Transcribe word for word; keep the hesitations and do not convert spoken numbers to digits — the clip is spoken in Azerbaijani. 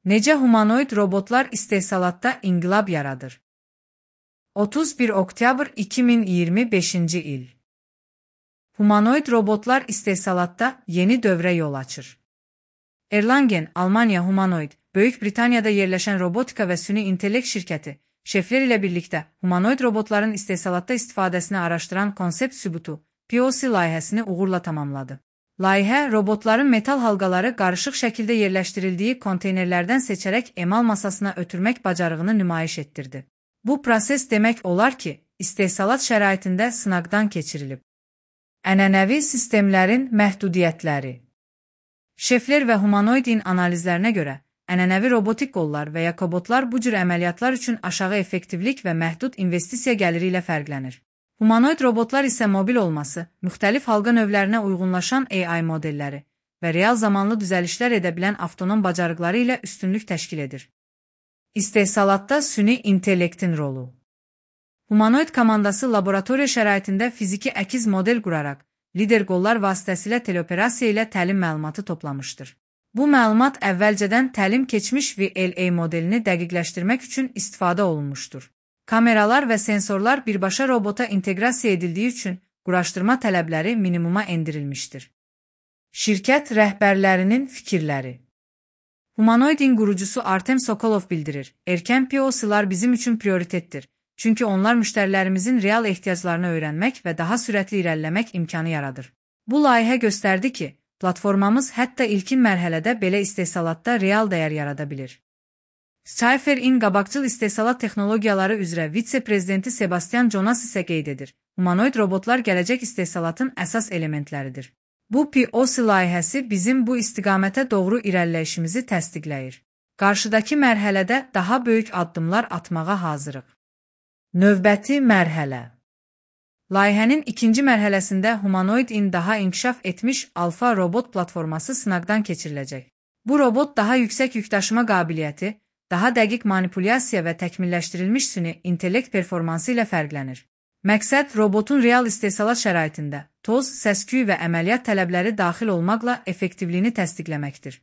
Necə humanoid robotlar istehsalatda inqilab yaradır? otuz bir oktyabr iki min iyirmi beşinci il. Humanoid robotlar istehsalatda yeni dövrə yol açır. Erlangen, Almanya Humanoid, Böyük Britaniyada yerləşən robotika və süni intellekt şirkəti, şeflər ilə birlikdə humanoid robotların istehsalatda istifadəsini araşdıran konsept sübutu, P O C layihəsini uğurla tamamladı. Layihə, robotların metal halqaları qarışıq şəkildə yerləşdirildiyi konteynerlərdən seçərək emal masasına ötürmək bacarığını nümayiş etdirdi. Bu proses demək olar ki, istehsalat şəraitində sınaqdan keçirilib. Ənənəvi sistemlərin məhdudiyyətləri. Şefler və humanoidin analizlərinə görə, ənənəvi robotik qollar və ya kobotlar bu cür əməliyyatlar üçün aşağı effektivlik və məhdud investisiya gəliri ilə fərqlənir. Humanoid robotlar isə mobil olması, müxtəlif halqa növlərinə uyğunlaşan A I modelləri və real zamanlı düzəlişlər edə bilən avtonom bacarıqları ilə üstünlük təşkil edir. İstehsalatda süni intellektin rolu. Humanoid komandası laboratoriya şəraitində fiziki əkiz model quraraq, lider qollar vasitəsilə teleoperasiya ilə təlim məlumatı toplamışdır. Bu məlumat əvvəlcədən təlim keçmiş V L A modelini dəqiqləşdirmək üçün istifadə olunmuşdur. Kameralar və sensorlar birbaşa robota inteqrasiya edildiyi üçün quraşdırma tələbləri minimuma endirilmişdir. Şirkət rəhbərlərinin fikirləri. Humanoidin qurucusu Artem Sokolov bildirir, erkən P O C'lar bizim üçün prioritetdir, çünki onlar müştərilərimizin real ehtiyaclarını öyrənmək və daha sürətli irəliləmək imkanı yaradır. Bu layihə göstərdi ki, platformamız hətta ilkin mərhələdə belə istehsalatda real dəyər yarada bilir. Cypher-in qabaqcıl istehsalat texnologiyaları üzrə vitse-prezidenti Sebastian Jonas isə qeyd edir, humanoid robotlar gələcək istehsalatın əsas elementləridir. Bu P O C layihəsi bizim bu istiqamətə doğru irəliləyişimizi təsdiqləyir. Qarşıdakı mərhələdə daha böyük addımlar atmağa hazırıq. Növbəti mərhələ. Layihənin ikinci mərhələsində humanoidin daha inkişaf etmiş alfa robot platforması sınaqdan keçiriləcək. Bu robot daha yüksək yükdaşıma qabiliyyəti, daha dəqiq manipulyasiya və təkmilləşdirilmiş süni intellekt performansı ilə fərqlənir. Məqsəd robotun real istehsalat şəraitində toz, səs-küy və əməliyyat tələbləri daxil olmaqla effektivliyini təsdiqləməkdir.